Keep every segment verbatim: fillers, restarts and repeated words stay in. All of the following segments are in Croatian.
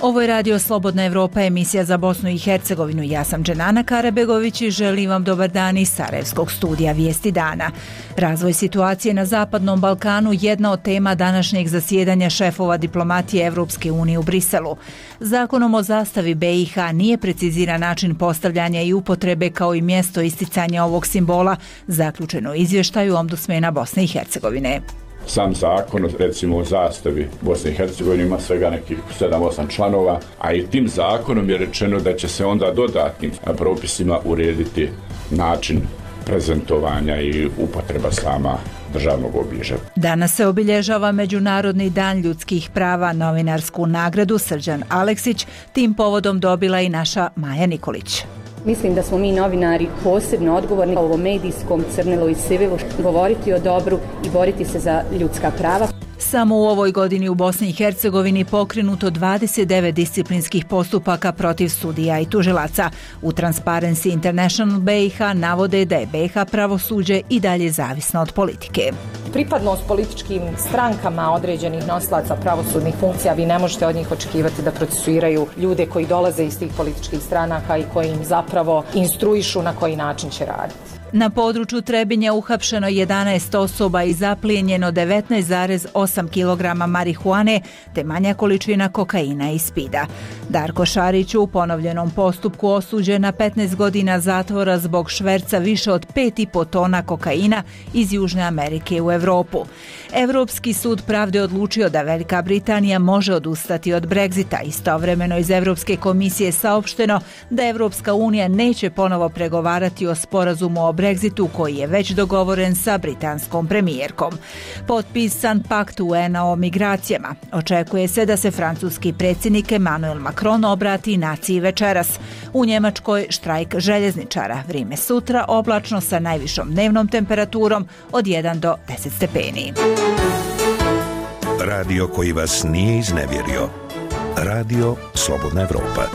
Ovo je Radio Slobodna Evropa, emisija za Bosnu i Hercegovinu. Ja sam Dženana Karabegović i želim vam dobar dan iz Sarajevskog studija Vijesti dana. Razvoj situacije na Zapadnom Balkanu jedna od tema današnjeg zasjedanja šefova diplomatije Evropske unije u Briselu. Zakonom o zastavi B i H nije preciziran način postavljanja i upotrebe kao i mjesto isticanja ovog simbola, zaključeno u izvještaju Ombudsmana Bosne i Hercegovine. Sam zakon, recimo o zastavi Bosne i Hercegovine, ima svega nekih sedam osam članova, a i tim zakonom je rečeno da će se onda dodatnim propisima urediti način prezentovanja i upotreba sama državnog obilježja. Danas se obilježava Međunarodni dan ljudskih prava. Novinarsku nagradu Srđan Aleksić tim povodom dobila i naša Maja Nikolić. Mislim da smo mi novinari posebno odgovorni u ovom medijskom crnilu i sivilu govoriti o dobru i boriti se za ljudska prava. Samo u ovoj godini u Bosni i Hercegovini pokrenuto dvadeset devet disciplinskih postupaka protiv sudija i tužilaca. U Transparency International B i H navode da je B i H pravosuđe i dalje zavisno od politike. Pripadnost političkim strankama određenih nosilaca pravosudnih funkcija, vi ne možete od njih očekivati da procesuiraju ljude koji dolaze iz tih političkih stranaka i koji im zapravo instruišu na koji način će raditi. Na području Trebinja uhapšeno jedanaest osoba i zaplijenjeno devetnaest zarez osam kilograma marihuane te manja količina kokaina i spida. Darko Šarić u ponovljenom postupku osuđen na petnaest godina zatvora zbog šverca više od pet i po tona kokaina iz Južne Amerike u Evropu. Evropski sud pravde odlučio da Velika Britanija može odustati od Brexita. Istovremeno iz Evropske komisije saopšteno da Evropska unija neće ponovo pregovarati o sporazumu o Brexitu koji je već dogovoren sa britanskom premijerkom. Potpisan pakt U N-a o migracijama. Očekuje se da se francuski predsjednik Emmanuel Macron obrati naciji večeras. U Njemačkoj štrajk željezničara. Vrijeme sutra oblačno sa najvišom dnevnom temperaturom od jedan do deset stepeni. Radio koji vas nije iznevjerio. Radio Slobodna Evropa.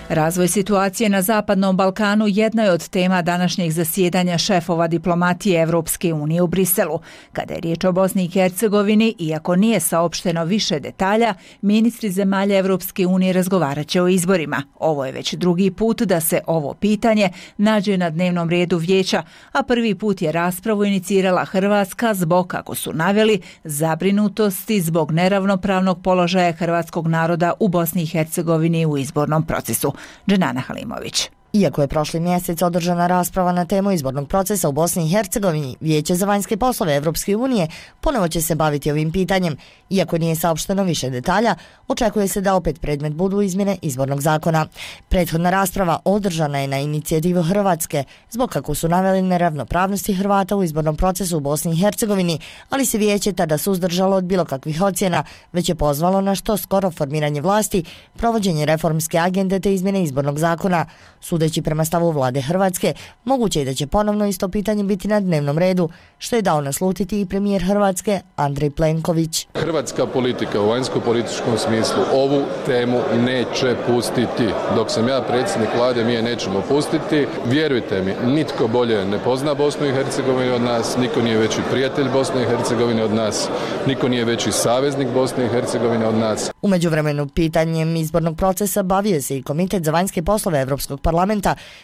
Razvoj situacije na Zapadnom Balkanu jedna je od tema današnjeg zasjedanja šefova diplomatije Evropske unije u Briselu. Kada je riječ o Bosni i Hercegovini, iako nije saopšteno više detalja, ministri zemalja Evropske unije razgovarat će o izborima. Ovo je već drugi put da se ovo pitanje nađe na dnevnom redu vijeća, a prvi put je raspravu inicirala Hrvatska zbog, kako su naveli, zabrinutosti zbog neravnopravnog položaja hrvatskog naroda u Bosni i Hercegovini u izbornom procesu. Dženana Halimović. Iako je prošli mjesec održana rasprava na temu izbornog procesa u Bosni i Hercegovini, Vijeće za vanjske poslove Evropske unije ponovo će se baviti ovim pitanjem. Iako nije saopšteno više detalja, očekuje se da opet predmet budu izmjene izbornog zakona. Prethodna rasprava održana je na inicijativu Hrvatske, zbog, kako su naveli, neravnopravnosti Hrvata u izbornom procesu u Bosni i Hercegovini, ali se Vijeće tada suzdržalo od bilo kakvih ocjena, već je pozvalo na što skoro formiranje vlasti, provođenje reformske agende te izmjene izbornog zakona. Sudeći prema stavu vlade Hrvatske, moguće je da će ponovno isto pitanje biti na dnevnom redu, što je dao naslutiti i premijer Hrvatske Andrej Plenković. Hrvatska politika u vanjsko-političkom smislu ovu temu neće pustiti. Dok sam ja predsjednik vlade, mi je nećemo pustiti. Vjerujte mi, nitko bolje ne pozna Bosnu i Hercegovinu od nas, niko nije veći prijatelj Bosne i Hercegovine od nas, niko nije veći saveznik Bosne i Hercegovine od nas. U međuvremenu pitanjem izbornog procesa bavio se i Komitet za vanjske poslove Evropskog parlamenta,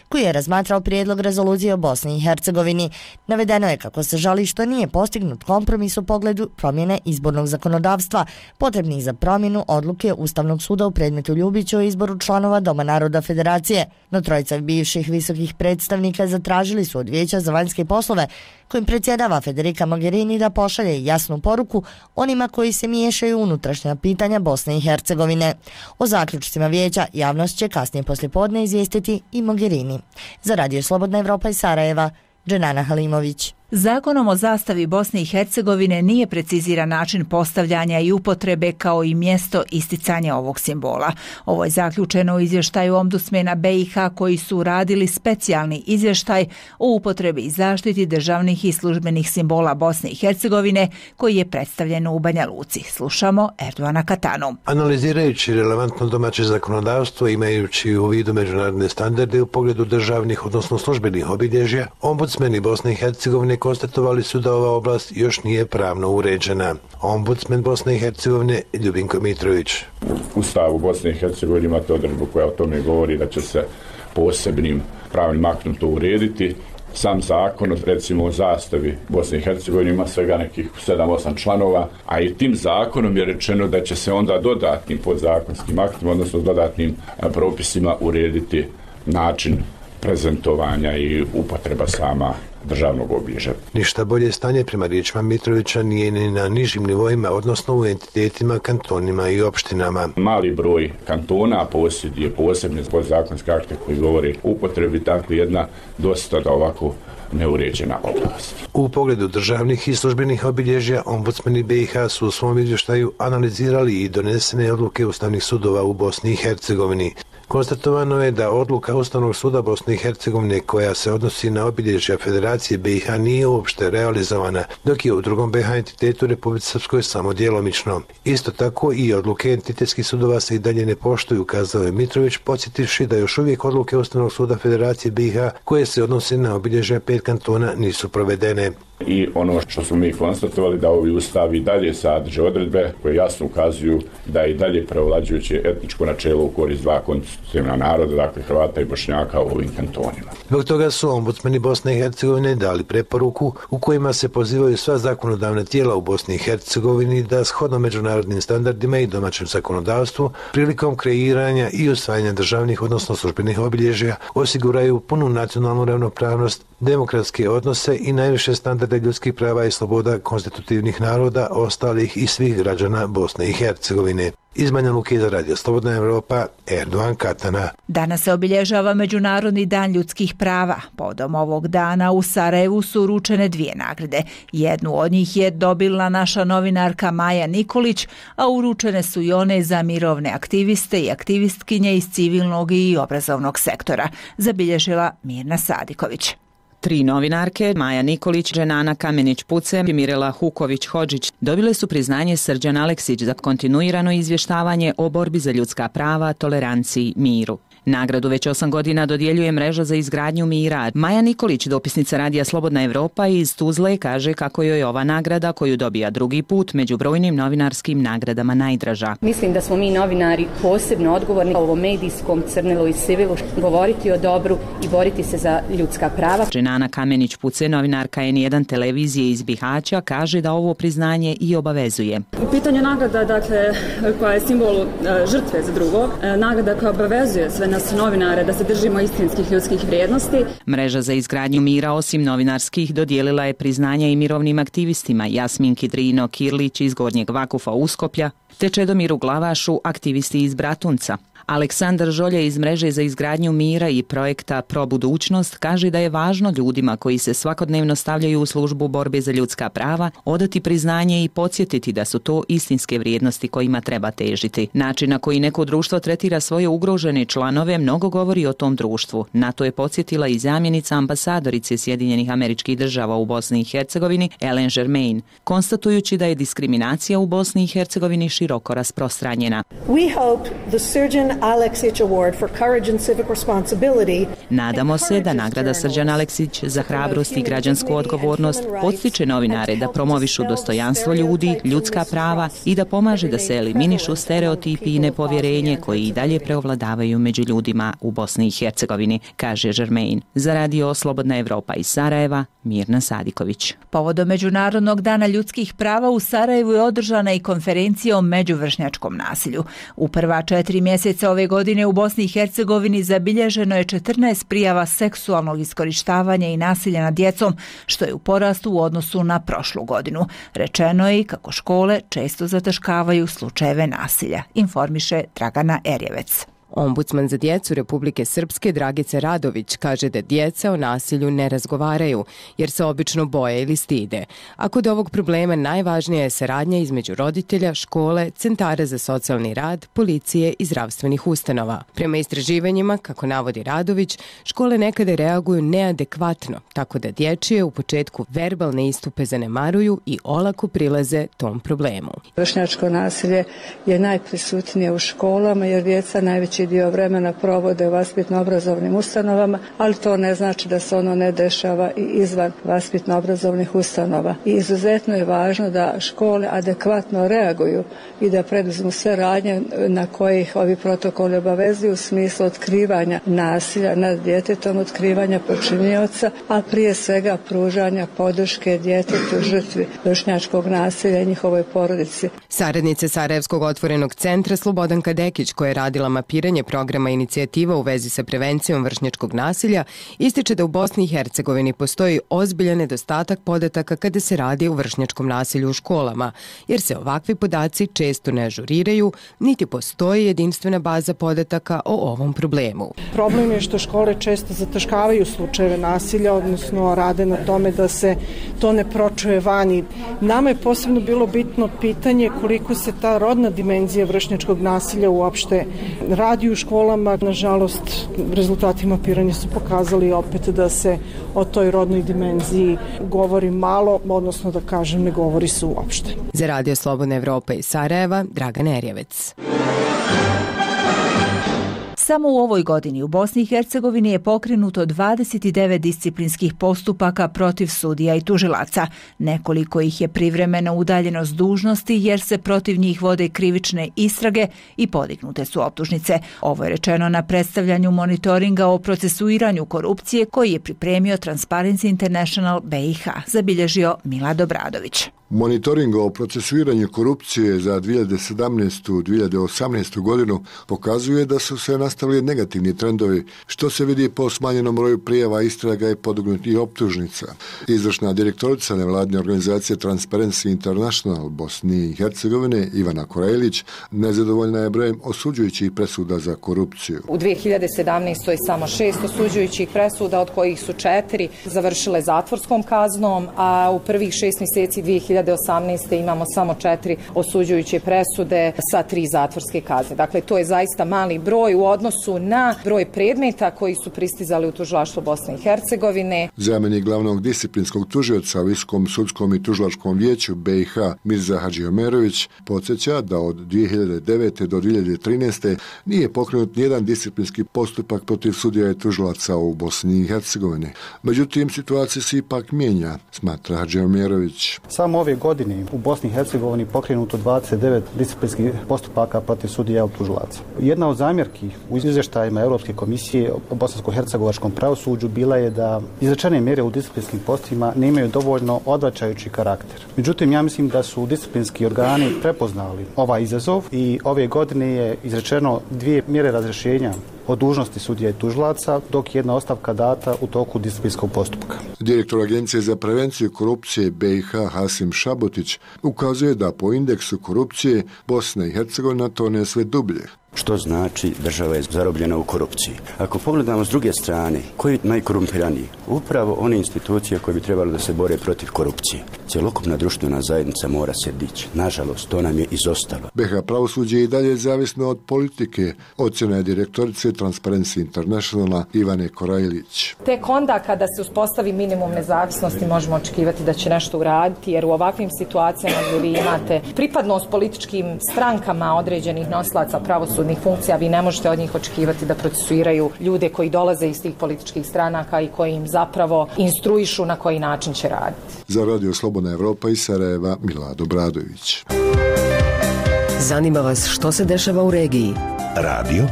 koji je razmatrao prijedlog rezolucije o Bosni i Hercegovini. Navedeno je kako se žali što nije postignut kompromis u pogledu promjene izbornog zakonodavstva, potrebnih za promjenu odluke Ustavnog suda u predmetu Ljubić o izboru članova Doma naroda Federacije. No trojica bivših visokih predstavnika zatražili su od Vijeća za vanjske poslove, kojim predsjedava Federica Mogherini, da pošalje jasnu poruku onima koji se miješaju u unutrašnja pitanja Bosne i Hercegovine. O zaključcima vijeća javnost će kasnije poslijepodne izvijestiti i Mogherini. Za Radio Slobodna Evropa iz Sarajeva, Dženana Halimović. Zakonom o zastavi Bosne i Hercegovine nije preciziran način postavljanja i upotrebe kao i mjesto isticanja ovog simbola. Ovo je zaključeno u izvještaju Ombudsmana B i H koji su radili specijalni izvještaj o upotrebi i zaštiti državnih i službenih simbola Bosne i Hercegovine koji je predstavljen u Banja Luci. Slušamo Erdoana Katanu. Analizirajući relevantno domaće zakonodavstvo, imajući u vidu međunarodne standarde u pogledu državnih, odnosno službenih obilježja, ombudsmeni Bosne i Hercegovine konstatovali su da ova oblast još nije pravno uređena. Ombudsman Bosne i Hercegovine Ljubinko Mitrović. U Ustavu Bosne i Hercegovine imate odredbu koja o tome govori da će se posebnim pravnim aktom to urediti. Sam zakon, recimo o zastavi Bosne i Hercegovine, ima svega nekih sedam osam članova, a i tim zakonom je rečeno da će se onda dodatnim podzakonskim aktima, odnosno dodatnim propisima urediti način prezentovanja i upotreba sama državnog obilježja. Ništa bolje stanje prema riječima Mitrovića nije ni na nižim nivoima, odnosno u entitetima, kantonima i opštinama. Mali broj kantona posjeduje posebne podzakonske akte koji govori o upotrebi, dakle jedna dosta da ovako neuređena oblast. U pogledu državnih i službenih obilježja, ombudsmani B i H su u svom izvještaju analizirali i donesene odluke ustavnih sudova u Bosni i Hercegovini. Konstatovano je da odluka Ustavnog suda Bosne i Hercegovine koja se odnosi na obilježja Federacije B i H nije uopšte realizovana, dok je u drugom B i H entitetu Republike Srpskoj samo djelomično. Isto tako i odluke entitetskih sudova se i dalje ne poštuju, kazao je Mitrović, podsjetivši da još uvijek odluke Ustavnog suda Federacije B i H koje se odnose na obilježja pet kantona nisu provedene. I ono što smo mi konstatovali da ovi ustavi i dalje sadrže odredbe koje jasno ukazuju da je i dalje prevlađujuće etničko načelo u korist dva konstitutivna naroda, dakle Hrvata i Bošnjaka u ovim kantonima. Zbog toga su ombudsmani Bosne i Hercegovine dali preporuku u kojima se pozivaju sva zakonodavna tijela u Bosni i Hercegovini da shodno međunarodnim standardima i domaćem zakonodavstvu prilikom kreiranja i usvajanja državnih odnosno službenih obilježja osiguraju punu nacionalnu ravnopravnost, demokratske odnose i najviše standarde ljudskih prava i sloboda konstitutivnih naroda, ostalih i svih građana Bosne i Hercegovine. Iz Banja Luke za Radio Slobodna Evropa, Erdogan Katana. Danas se obilježava Međunarodni dan ljudskih prava. Povodom ovog dana u Sarajevu su uručene dvije nagrade. Jednu od njih je dobila naša novinarka Maja Nikolić, a uručene su i one za mirovne aktiviste i aktivistkinje iz civilnog i obrazovnog sektora, zabilježila Mirna Sadiković. Tri novinarke, Maja Nikolić, Dženana Kamenić-Pucem i Mirela Huković-Hodžić, dobile su priznanje Srđan Aleksić za kontinuirano izvještavanje o borbi za ljudska prava, toleranciji, miru. Nagradu već osam godina dodjeljuje Mreža za izgradnju mira. Maja Nikolić, dopisnica Radija Slobodna Evropa iz Tuzle, kaže kako joj je ova nagrada, koju dobija drugi put, među brojnim novinarskim nagradama najdraža. Mislim da smo mi novinari posebno odgovorni u ovom medijskom crnilu i sivilu govoriti o dobru i boriti se za ljudska prava. Dženana Kamenić-Puce, novinarka N jedan televizije iz Bihaća, kaže da ovo priznanje i obavezuje. U pitanju nagrada, dakle, koja je simbol žrtve za drugo, nagrada koja obavezuje sve nas novinare da se držimo istinskih ljudskih vrijednosti. Mreža za izgradnju mira osim novinarskih dodijelila je priznanja i mirovnim aktivistima Jasmin Kidrino Kirlić iz Gornjeg Vakufa Uskoplja te Čedomiru Glavašu, aktivisti iz Bratunca. Aleksandar Žolje iz Mreže za izgradnju mira i projekta Pro budućnost kaže da je važno ljudima koji se svakodnevno stavljaju u službu borbe za ljudska prava odati priznanje i podsjetiti da su to istinske vrijednosti kojima treba težiti. Način na koji neko društvo tretira svoje ugrožene članove mnogo govori o tom društvu. Na to je podsjetila i zamjenica ambasadorice Sjedinjenih Američkih Država u Bosni i Hercegovini Ellen Germain, konstatujući da je diskriminacija u Bosni i Hercegovini široko rasprostranjena. We hope the Srđan Aleksić Award for Courage and Civic Responsibility. Nadamo se da nagrada Srđan Aleksić za hrabrost i građansku odgovornost podstiče novinare da promovišu dostojanstvo ljudi, ljudska prava i da pomaže da se eliminišu stereotipi i nepovjerenje koji i dalje preovladavaju među ljudima u Bosni i Hercegovini, kaže Germain. Za Radio Slobodna Evropa iz Sarajeva, Mirna Sadiković. Povodom Međunarodnog dana ljudskih prava u Sarajevu je održana i konferencija o međuvršnjačkom nasilju. U prva četiri mjeseca ove godine u Bosni i Hercegovini zabilježeno je četrnaest prijava seksualnog iskorištavanja i nasilja nad djecom, što je u porastu u odnosu na prošlu godinu. Rečeno je i kako škole često zataškavaju slučajeve nasilja, informiše Dragana Erjevec. Ombudsman za djecu Republike Srpske Dragica Radović kaže da djeca o nasilju ne razgovaraju jer se obično boje ili stide. A kod ovog problema najvažnija je saradnja između roditelja, škole, centara za socijalni rad, policije i zdravstvenih ustanova. Prema istraživanjima, kako navodi Radović, škole nekada reaguju neadekvatno, tako da dječje u početku verbalne istupe zanemaruju i olako prilaze tom problemu. Vršnjačko nasilje je najprisutnije u školama jer djeca najveći veći dio vremena provode u vaspitno-obrazovnim ustanovama, ali to ne znači da se ono ne dešava i izvan vaspitno-obrazovnih ustanova. I izuzetno je važno da škole adekvatno reaguju i da preduzmu sve radnje na kojih ovi protokoli obavezuju u smislu otkrivanja nasilja nad djetetom, otkrivanja počinioca, a prije svega pružanja podrške djetetu žrtvi vršnjačkog nasilja i njihovoj porodici. Saradnice Sarajevskog otvorenog centra Slobodanka Dekić, koja je radila mapiranje programa inicijativa u vezi sa prevencijom vršnjačkog nasilja, ističe da u Bosni i Hercegovini postoji ozbiljan nedostatak podataka kada se radi o vršnjačkom nasilju u školama, jer se ovakvi podaci često ne ažuriraju, niti postoji jedinstvena baza podataka o ovom problemu. Problem je što škole često zataškavaju slučajeve nasilja, odnosno rade na tome da se to ne pročuje vani. Nama je posebno bilo bitno pitanje koliko se ta rodna dimenzija vršnjačkog nasilja uopšte radi u školama. Nažalost, rezultati mapiranja su pokazali opet da se o toj rodnoj dimenziji govori malo, odnosno da kažem ne govori se uopšte. Za Radio Slobodna Evropa iz Sarajeva, Dragan Erjevec. Samo u ovoj godini u Bosni i Hercegovini je pokrenuto dvadeset devet disciplinskih postupaka protiv sudija i tužilaca. Nekoliko ih je privremeno udaljeno s dužnosti jer se protiv njih vode krivične istrage i podignute su optužnice. Ovo je rečeno na predstavljanju monitoringa o procesuiranju korupcije koji je pripremio Transparency International B i H, zabilježio Milad Obradović. Monitoring o procesuiranju korupcije za dvije hiljade sedamnaestu dvije hiljade osamnaestu godinu pokazuje da su se nastavili negativni trendovi, što se vidi po smanjenom broju prijava, istraga i podignutih optužnica. Izvršna direktorica nevladine organizacije Transparency International Bosni i Hercegovine Ivana Korajlić nezadovoljna je brojem osuđujućih presuda za korupciju. U dvije hiljade sedamnaestoj samo šest osuđujućih presuda, od kojih su četiri završile zatvorskom kaznom, a u prvih šest mjeseci dvije hiljade osamnaeste imamo samo četiri osuđujuće presude sa tri zatvorske kazne. Dakle, to je zaista mali broj u odnosu na broj predmeta koji su pristizali u tužilaštvo Bosne i Hercegovine. Zamjenik glavnog disciplinskog tužioca u Visokom sudskom i tužilačkom vijeću B i H Mirza Hadžiomerović podsjeća da od dvije hiljade devete do dvije hiljade trinaeste nije pokrenut nijedan disciplinski postupak protiv sudija i tužilaca u Bosni i Hercegovini. Međutim, situacija se ipak mijenja, smatra Hadžiomerović. Samo ove godine u Bosni i Hercegovini pokrenuto dvadeset devet disciplinskih postupaka protiv sudija i tužilaca. Jedna od zamjerki u izvještajima Europske komisije o bosansko-hercegovačkom pravosuđu bila je da izrečene mjere u disciplinskim postupcima nemaju dovoljno odvraćajući karakter. Međutim, ja mislim da su disciplinski organi prepoznali ovaj izazov i ove godine je izrečeno dvije mjere razrješenja o dužnosti sudija i tužilaca, dok jedna ostavka data u toku disciplinskog postupka. Direktor Agencije za prevenciju korupcije B i H Hasim Šabotić ukazuje da po indeksu korupcije Bosna i Hercegovina tone sve dublje. Što znači država je zarobljena u korupciji. Ako pogledamo s druge strane, koji je najkorumpiraniji? Upravo one institucije koje bi trebalo da se bore protiv korupcije. Cjelokupna društvena zajednica mora se dići. Nažalost, to nam je izostalo. B i H pravosuđe je i dalje zavisno od politike, ocjena je direktorice Transparency Internationala Ivane Korajlić. Tek onda kada se uspostavi minimum nezavisnosti možemo očekivati da će nešto uraditi, jer u ovakvim situacijama gdje vi imate pripadnost političkim strankama određenih nosilaca pravosudnih funkcija, vi ne možete od njih očekivati da procesuiraju ljude koji dolaze iz tih političkih stranaka i koji im zapravo instruišu na koji način će raditi. Za Radio Slobodna Evropa iz Sarajeva, Milad Obradović. Zanima vas što se dešava u regiji? Radio,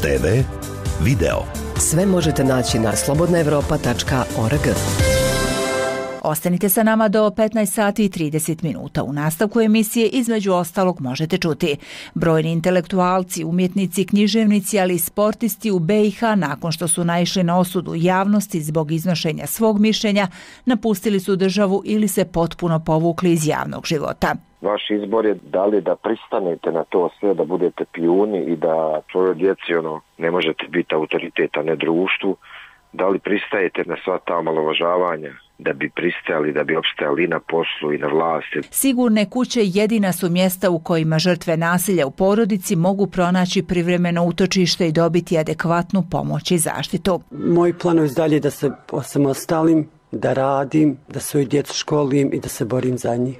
te ve, video. Sve možete naći na slobodna evropa tačka org. Ostanite sa nama do petnaest sati i trideset minuta. U nastavku emisije između ostalog možete čuti. Brojni intelektualci, umjetnici, književnici, ali i sportisti u B i H nakon što su naišli na osudu javnosti zbog iznošenja svog mišljenja, napustili su državu ili se potpuno povukli iz javnog života. Vaš izbor je da li da pristanete na to sve, da budete pijuni i da svojoj djeci ono, ne možete biti autoriteta, ne društvu, da li pristajete na sva ta omalovažavanja da bi pristajali, da bi opstajali i na poslu i na vlasti. Sigurne kuće jedina su mjesta u kojima žrtve nasilja u porodici mogu pronaći privremeno utočište i dobiti adekvatnu pomoć i zaštitu. Moj plan je dalje da se osamostalim, da radim, da svoju djecu školim i da se borim za njih.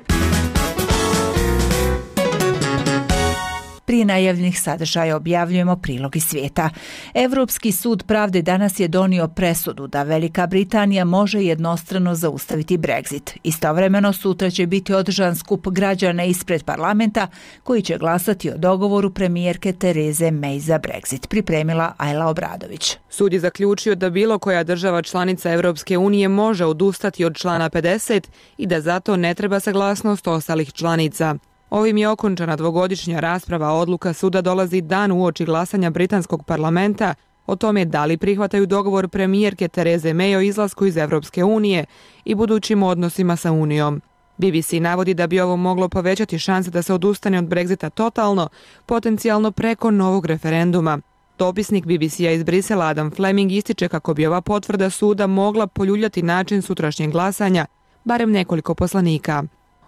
Prije najavljenih sadržaja objavljujemo prilog iz svijeta. Evropski sud pravde danas je donio presudu da Velika Britanija može jednostrano zaustaviti Brexit. Istovremeno sutra će biti održan skup građana ispred parlamenta koji će glasati o dogovoru premijerke Tereze May za Brexit, pripremila Ajla Obradović. Sud je zaključio da bilo koja država članica Europske unije može odustati od člana pedeset i da zato ne treba saglasnost ostalih članica. Ovim je okončana dvogodišnja rasprava, odluka suda dolazi dan uoči glasanja britanskog parlamenta o tome da li prihvataju dogovor premijerke Tereze May o izlasku iz Europske unije i budućim odnosima sa Unijom. B B C navodi da bi ovo moglo povećati šanse da se odustane od Brexita totalno, potencijalno preko novog referenduma. Dopisnik B B C-a iz Brisela Adam Fleming ističe kako bi ova potvrda suda mogla poljuljati način sutrašnjeg glasanja, barem nekoliko poslanika.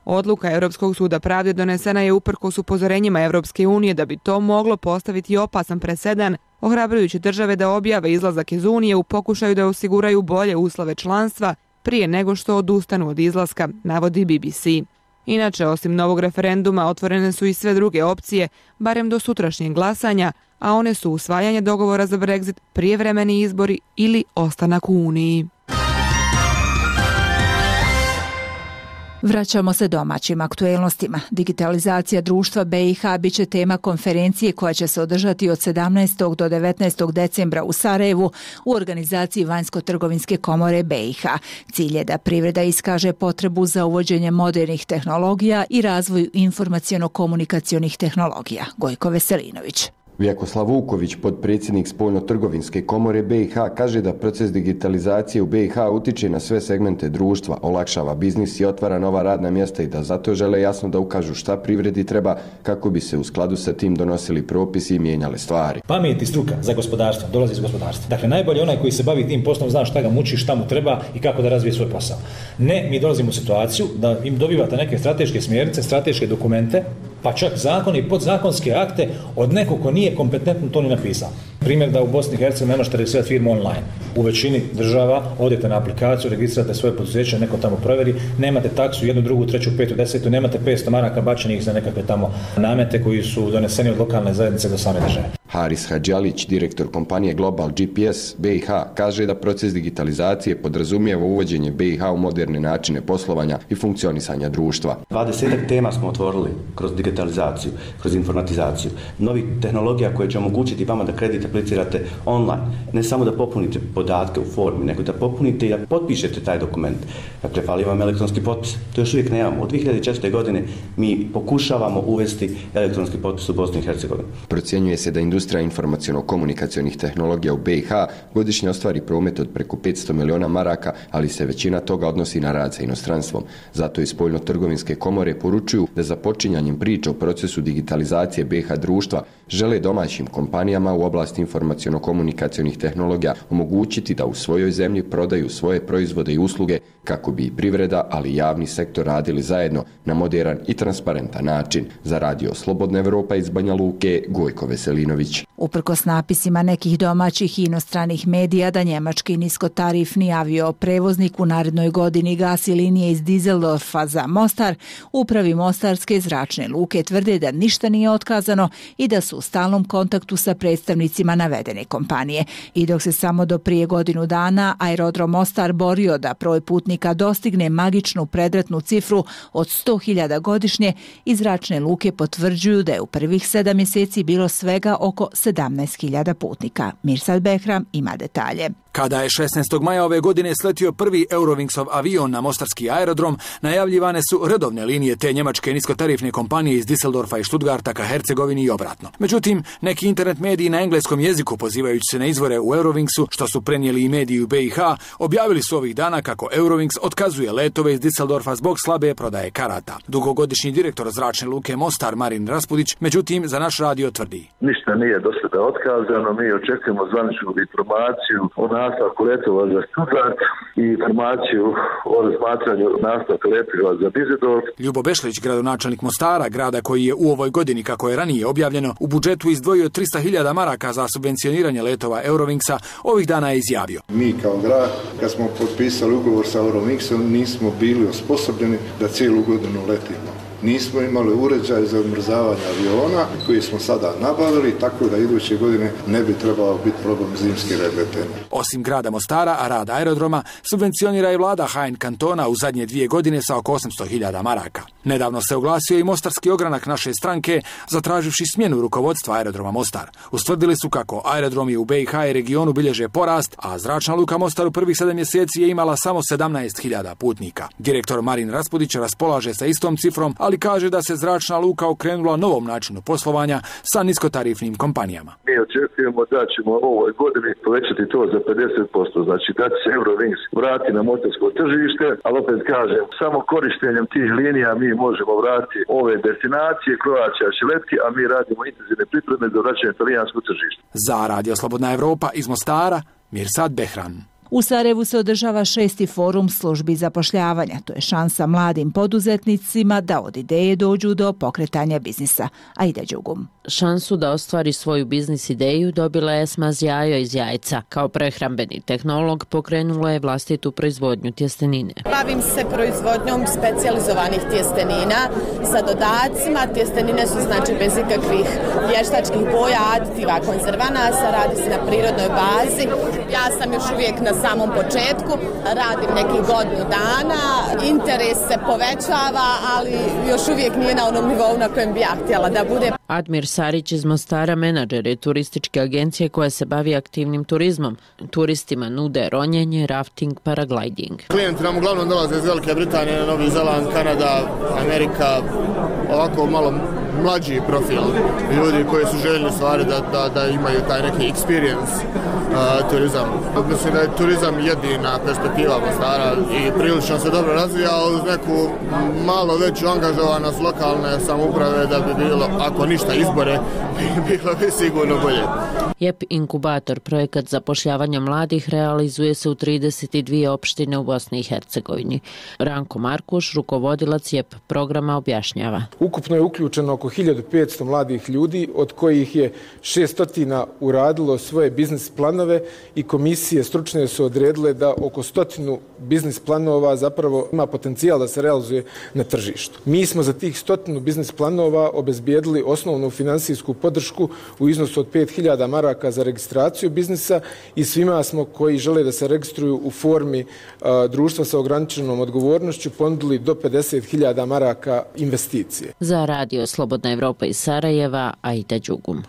Odluka Europskog suda pravde donesena je uprkos upozorenjima Europske unije da bi to moglo postaviti opasan presedan, ohrabrujući države da objave izlazak iz Unije u pokušaju da osiguraju bolje uslove članstva prije nego što odustanu od izlaska, navodi B B C. Inače, osim novog referenduma, otvorene su i sve druge opcije, barem do sutrašnjeg glasanja, a one su usvajanje dogovora za Brexit, prijevremeni izbori ili ostanak u Uniji. Vraćamo se domaćim aktuelnostima. Digitalizacija društva B i H biće tema konferencije koja će se održati od sedamnaestog do devetnaestog decembra u Sarajevu u organizaciji Vanjsko-trgovinske komore B i H. Cilj je da privreda iskaže potrebu za uvođenje modernih tehnologija i razvoju informaciono-komunikacionih tehnologija. Gojko Veselinović. Vjekoslav Vuković, potpredsjednik Spoljno-trgovinske komore B i H, kaže da proces digitalizacije u B i H utiče na sve segmente društva, olakšava biznis i otvara nova radna mjesta i da zato žele jasno da ukažu šta privredi treba kako bi se u skladu sa tim donosili propisi i mijenjale stvari. Pamet i struka za gospodarstvo dolazi iz gospodarstva. Dakle, najbolje onaj koji se bavi tim poslom zna šta ga muči, šta mu treba i kako da razvije svoj posao. Ne, mi dolazimo u situaciju da im dobivate neke strateške smjernice, strateške dokumente, pa čak zakone i podzakonske akte od nekog ko nije kompetentno to ni napisao. Primjer da u Bosni i Hercegovini ne možete registrirati firmu online. U većini država odete na aplikaciju, registrirate svoje poduzeće, neko tamo provjeri, nemate taksu, jednu, drugu, treću, petu, desetu, nemate petsto maraka bačenih za nekakve tamo namete koji su doneseni od lokalne zajednice do same države. Haris Hadžalić, direktor kompanije Global G P S B i H, kaže da proces digitalizacije podrazumijeva uvođenje B i H u moderne načine poslovanja i funkcionisanja društva. dvadeset tema smo otvorili kroz digitalizaciju, kroz informatizaciju, novih tehnologija koje će omogućiti vama da kredit aplicirate online, ne samo da popunite podatke u formi, nego da popunite i da potpišete taj dokument. Dakle, fali vam elektronski potpis. To još uvijek nemamo. Od dvije hiljade četvrte. godine mi pokušavamo uvesti elektronski potpis u Bosni i Hercegovini. Procjenjuje se da industrija informaciono-komunikacionih tehnologija u B i H godišnje ostvari promet od preko petsto miliona maraka, ali se većina toga odnosi na rad sa inostranstvom. Zato i Spoljno-trgovinske komore poručuju da za počinjanjem priče o procesu digitalizacije B i H društva žele domaćim kompanijama u oblasti informaciono-komunikacionih tehnologija omogućiti da u svojoj zemlji prodaju svoje proizvode i usluge kako bi i privreda, ali i javni sektor radili zajedno na moderan i transparentan način. Za radio Slobodna Evropa iz Banja Luke, Gojko Veselinović. Uprkos napisima nekih domaćih i inostranih medija da njemački niskotarifni avioprevoznik u narednoj godini gasi linije iz Düsseldorfa za Mostar, upravi Mostarske zračne luke tvrde da ništa nije otkazano i da su u stalnom kontaktu sa predstavnicima navedene kompanije. I dok se samo do prije godinu dana aerodrom Mostar borio da broj putnika dostigne magičnu predratnu cifru od sto hiljada godišnje, iz zračne luke potvrđuju da je u prvih sedam mjeseci bilo svega oko sedamnaest hiljada putnika. Mirsad Behram ima detalje. Kada je šesnaestog maja ove godine sletio prvi Eurowingsov avion na mostarski aerodrom, najavljivane su redovne linije te njemačke niskotarifne kompanije iz Düsseldorfa i Stuttgarta ka Hercegovini i obratno. Međutim, neki internet mediji na engleskom jeziku, pozivajući se na izvore u Eurowingsu, što su prenijeli i mediji u B i H, objavili su ovih dana kako Eurowings otkazuje letove iz Düsseldorfa zbog slabe prodaje karata. Dugogodišnji direktor zračne luke Mostar Marin Raspudić, međutim, za naš radio tvrdi: Ništa nije do sada otkazano, mi očekujemo zvaničnu informaciju o nastavku letova za Stuttgart i informaciju o razmatranju nastavka letova za Düsseldorf. Ljubo Bešlić, gradonačelnik Mostara, grada koji je u ovoj godini, kako je ranije objavljeno, u budžetu izdvojio trista hiljada maraka za subvencioniranje letova Eurowingsa, ovih dana je izjavio: Mi kao grad, kad smo potpisali ugovor sa Eurowingsom, nismo bili osposobljeni da cijelu godinu letimo. nismo imali uređaj za odmrzavanje aviona koji smo sada nabavili, tako da iduće godine ne bi trebao biti problem zimski regletenja. Osim grada Mostara, a rad aerodroma subvencionira i vlada H N kantona u zadnje dvije godine sa oko osamsto hiljada maraka. Nedavno se oglasio i mostarski ogranak naše stranke, zatraživši smjenu rukovodstva aerodroma Mostar. Ustvrdili su kako aerodromi u B i H i regionu bilježe porast, a zračna luka Mostar u prvih sedam mjeseci je imala samo sedamnaest hiljada putnika. Direktor Marin Raspudić raspolaže sa istom cifrom, ali kaže da se zračna luka okrenula novom načinu poslovanja sa niskotarifnim kompanijama. Mi očekujemo da ćemo ovoj godini povećati to za pedeset posto, znači da će se Eurowings vrati na mostarsko tržište, ali opet kažem, samo korištenjem tih linija mi možemo vratiti ove destinacije, Croatia će letki, a mi radimo intenzivne pripreme za vraćanje talijanskog tržišta. Za Radio Slobodna Evropa iz Mostara, Mirsad Behran. U Sarajevu se održava šesti forum službi zapošljavanja. To je šansa mladim poduzetnicima da od ideje dođu do pokretanja biznisa. Aida Đugum. Šansu da ostvari svoju biznis ideju dobila je Esma Zjajo iz Jajca. Kao prehrambeni tehnolog pokrenula je vlastitu proizvodnju tjestenine. Bavim se proizvodnjom specijalizovanih tjestenina sa dodacima. Tjestenine su znači bez ikakvih vještačkih boja, aditiva, konzervanasa, radi se na prirodnoj bazi. Ja sam još uvijek na samom početku, radim nekih godinu dana, interes se povećava, ali još uvijek nije na onom nivou na kojem bi ja htjela da bude. Admir Sarić iz Mostara, menadžer je turističke agencije koja se bavi aktivnim turizmom. Turistima nude ronjenje, rafting, paragliding. Klijenti nam uglavnom dolaze iz Velike Britanije, Novi Zeland, Kanada, Amerika, ovako malo mlađi profil ljudi koji su željeli stvari da, da, da imaju taj neki experience uh, turizam. Mislim da je turizam jedina perspektiva Mostara i prilično se dobro razvija uz neku malo veću angažovanost lokalne samouprave da bi bilo, ako ništa izbore, bilo bi sigurno bolje. J E P Inkubator, projekat zapošljavanja mladih, realizuje se u trideset dvije opštine u Bosni i Hercegovini. Ranko Markuš, rukovodilac J E P programa, objašnjava. Ukupno je uključeno oko hiljadu petsto mladih ljudi, od kojih je šesto uradilo svoje biznis planove i komisije stručne su odredile da oko stotinu biznis planova zapravo ima potencijal da se realizuje na tržištu. Mi smo za tih stotinu biznis planova obezbijedili osnovnu finansijsku podršku u iznosu od pet hiljada maraka za registraciju biznisa i svima smo koji žele da se registruju u formi a, društva sa ograničenom odgovornošću ponudili do pedeset hiljada maraka investicije. Za Radio Slobodna Evropa iz Sarajeva, Aida Đugum.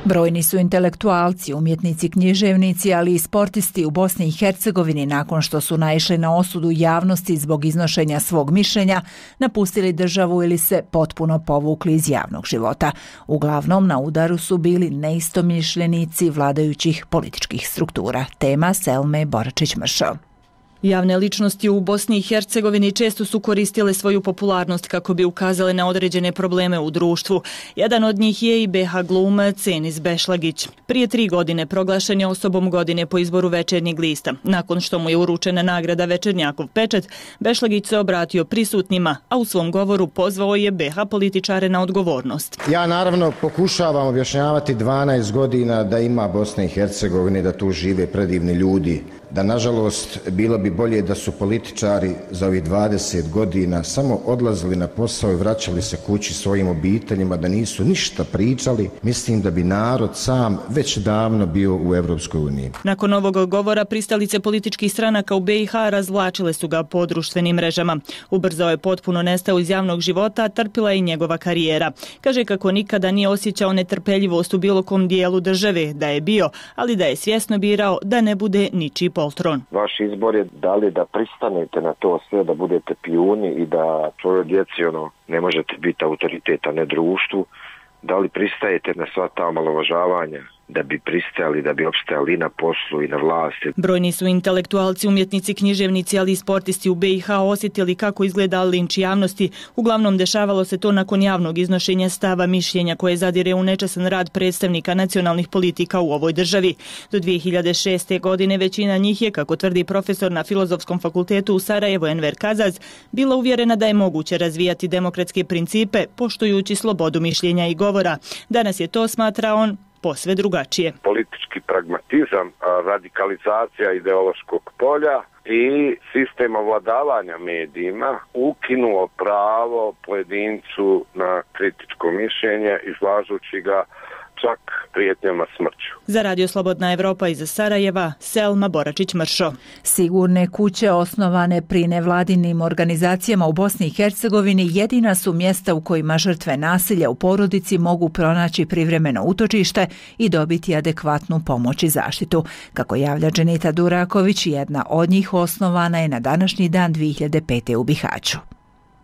Brojni su intelektualci, umjetnici, književnici, ali i sportisti u Bosni i Hercegovini nakon što su naišli na osudu javnosti zbog iznošenja svog mišljenja, napustili državu ili se potpuno povukli iz javnog života. Uglavnom na udaru su bili neistomišljenici vladajućih političkih struktura. Tema Selme Boračić-Mršo. Javne ličnosti u Bosni i Hercegovini često su koristile svoju popularnost kako bi ukazale na određene probleme u društvu. Jedan od njih je i B H glumac Enis Bešlagić. Prije tri godine proglašen je osobom godine po izboru Večernjeg lista. Nakon što mu je uručena nagrada Večernjakov pečat, Bešlagić se obratio prisutnima, a u svom govoru pozvao je B H političare na odgovornost. Ja naravno pokušavam objašnjavati dvanaest godina da ima Bosne i Hercegovine, da tu žive predivni ljudi, da nažalost bilo bi bolje da su političari za ovih dvadeset godina samo odlazili na posao i vraćali se kući svojim obiteljima, da nisu ništa pričali. Mislim da bi narod sam već davno bio u Evropskoj uniji. Nakon ovog govora pristalice političkih stranaka u B i H razvlačile su ga po društvenim mrežama. Ubrzao je potpuno nestao iz javnog života, a trpila je i njegova karijera. Kaže kako nikada nije osjećao netrpeljivost u bilo kom dijelu države, da je bio, ali da je svjesno birao da ne bude ničiji poltron. Vaš izbor je da li da pristanete na to sve, da budete pijuni i da tvojoj djeci ono, ne možete biti autoriteta, ne društvu, da li pristajete na sva ta omalovažavanja, da bi pristajali, da bi opstajali i na poslu i na vlasti. Brojni su intelektualci, umjetnici, književnici, ali i sportisti u B i H osjetili kako izgleda linč javnosti. Uglavnom dešavalo se to nakon javnog iznošenja stava mišljenja koje zadire u nečasan rad predstavnika nacionalnih politika u ovoj državi. Do dvije hiljade šeste. godine većina njih je, kako tvrdi profesor na Filozofskom fakultetu u Sarajevu Enver Kazaz, bila uvjerena da je moguće razvijati demokratske principe poštujući slobodu mišljenja i govora. Danas je to, smatra on, posve drugačije. Politički pragmatizam, radikalizacija ideološkog polja i sistem ovladavanja medijima ukinuo pravo pojedincu na kritičko mišljenje, izlažući ga čak prijetnjama smrću. Za Radio Slobodna Evropa iz Sarajeva, Selma Boračić-Mršo. Sigurne kuće osnovane pri nevladinim organizacijama u Bosni i Hercegovini jedina su mjesta u kojima žrtve nasilja u porodici mogu pronaći privremeno utočište i dobiti adekvatnu pomoć i zaštitu. Kako javlja Dženita Duraković, jedna od njih osnovana je na današnji dan dvije hiljade pete. u Bihaću.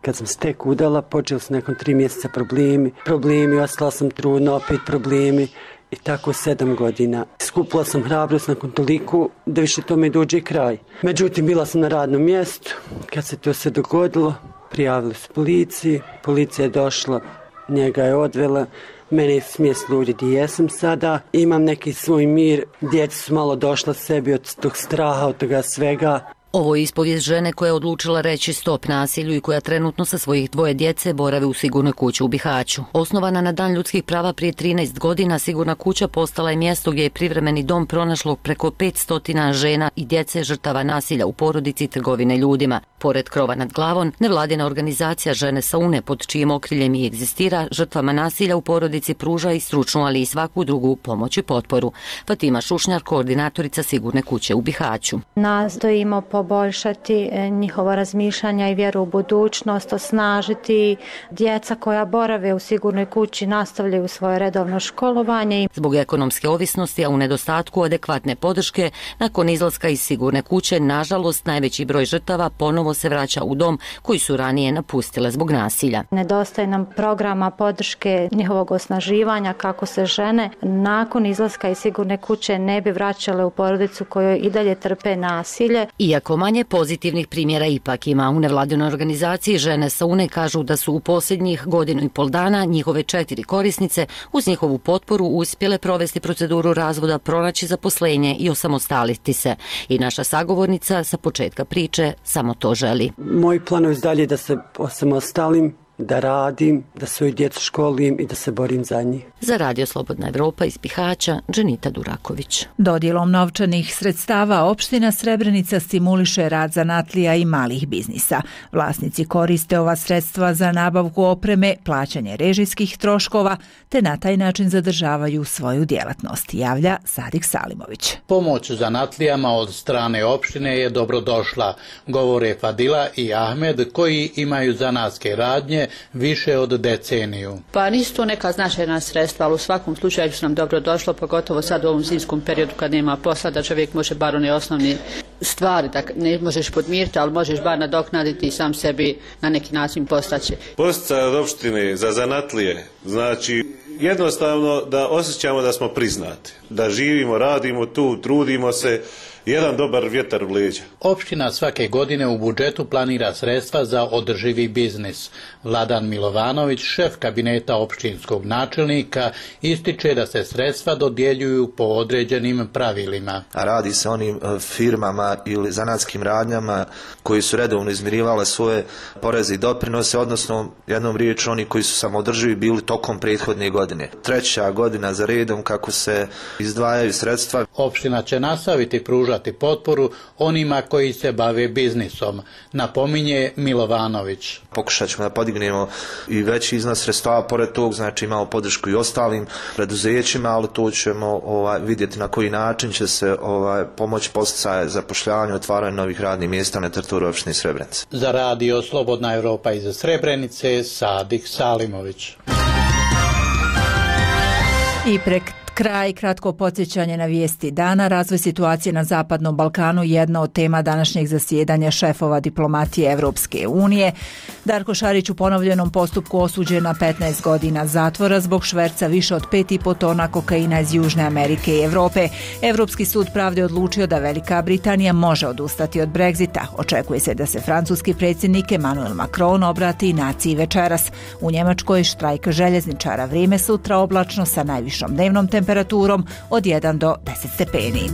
Kad sam se tek udala, počeli su nakon tri mjeseca problemi. Problemi, ostala sam trudna, opet problemi. I tako sedam godina. Skupila sam hrabrost nakon toliko da više tome dođe kraj. Međutim, bila sam na radnom mjestu. Kad se to sve dogodilo, prijavili su policiji. Policija je došla, njega je odvela. Mene je smjestilo gdje jesam sada. Imam neki svoj mir. Djeca su malo došla sebi od tog straha, od toga svega. Ovo je ispovijest žene koja je odlučila reći stop nasilju i koja trenutno sa svojih dvoje djece borave u sigurnoj kući u Bihaću. Osnovana na Dan ljudskih prava prije trinaest godina, sigurna kuća postala je mjesto gdje je privremeni dom pronašlo preko petsto žena i djece žrtava nasilja u porodici i trgovine ljudima. Pored krova nad glavom, nevladina organizacija Žene sa Une, pod čijim okriljem i egzistira, žrtvama nasilja u porodici pruža i stručnu, ali i svaku drugu pomoć i potporu. Fatima Šušnjar, koordinatorica sigurne kuće u Bihaću. Nastojimo poboljšati njihovo razmišljanja i vjeru u budućnost, osnažiti djeca koja borave u sigurnoj kući, nastavljaju svoje redovno školovanje. Zbog ekonomske ovisnosti, a u nedostatku adekvatne podrške, nakon izlaska iz sigurne kuće, nažalost, najveći broj žrtava ponovo se vraća u dom koji su ranije napustile zbog nasilja. Nedostaje nam programa podrške njihovog osnaživanja kako se žene nakon izlaska iz sigurne kuće ne bi vraćale u porodicu kojoj i dalje trpe nasilje. Iako manje pozitivnih primjera ipak ima, u nevladinoj organizaciji Žene sa Une kažu da su u posljednjih godinu i pol dana njihove četiri korisnice uz njihovu potporu uspjele provesti proceduru razvoda, pronaći zaposlenje i osamostaliti se. I naša sagovornica sa početka priče samo to želi. Moji planovi dalje da se osamostalim, da radim, da svoju djecu školim i da se borim za njih. Za Radio Slobodna Evropa iz Bihaća, Dženita Duraković. Dodjelom novčanih sredstava opština Srebrenica stimuliše rad zanatlija i malih biznisa. Vlasnici koriste ova sredstva za nabavku opreme, plaćanje režijskih troškova, te na taj način zadržavaju svoju djelatnost, javlja Sadik Salimović. Pomoć zanatlijama od strane opštine je dobrodošla, govore Fadila i Ahmed, koji imaju zanatske radnje više od deceniju. Pa nisu to neka značajna sredstva, ali u svakom slučaju su nam dobro došlo, pogotovo sad u ovom zimskom periodu kad nema posla, da čovjek može bar one osnovne stvari, da ne možeš podmiriti, ali možeš bar nadoknaditi i sam sebi na neki način postaći. Posticaj od opštine za zanatlije, znači jednostavno da osjećamo da smo priznati, da živimo, radimo tu, trudimo se, jedan dobar vjetar u leđa. Opština svake godine u budžetu planira sredstva za održivi biznis. Vladan Milovanović, šef kabineta opštinskog načelnika, ističe da se sredstva dodjeljuju po određenim pravilima. Radi se onim firmama ili zanatskim radnjama koji su redovno izmirivale svoje poreze i doprinose, odnosno jednom riječju oni koji su samoodrživi bili tokom prethodne godine. Treća godina za redom kako se izdvajaju sredstva. Opština će nastaviti pružati potporu onima koji se bave biznisom, napominje Milovanović. Pokušat ćemo da podignemo i veći iznos sredstava, pored tog znači imamo podršku i ostalim preduzećima, ali to ćemo ovaj, vidjeti na koji način će se ovaj, pomoći posticaje zapošljavanja, otvaranja novih radnih mjesta na teritoriju opštine Srebrenica. Za Radio Slobodna Evropa iz Srebrenice, Sadik Salimović. I prek kraj, kratko podsjećanje na vijesti dana. Razvoj situacije na Zapadnom Balkanu jedna od tema današnjeg zasjedanja šefova diplomatije Evropske unije. Darko Šarić u ponovljenom postupku osuđen na petnaest godina zatvora zbog šverca više od pet i po tona kokaina iz Južne Amerike i Evrope. Evropski sud pravde odlučio da Velika Britanija može odustati od Brexita. Očekuje se da se francuski predsjednik Emmanuel Macron obrati naciji večeras. U Njemačkoj štrajk željezničara, vrijeme sutra oblačno sa najvišom dnevnom temperaturom od jedan do deset stepeni.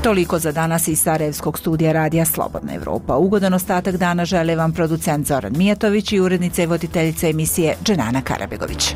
Toliko za danas iz Sarajevskog studija radija Slobodna Evropa. Ugodan ostatak dana žele vam producent Zoran Mijatović i urednica i voditeljica emisije Dženana Karabegović.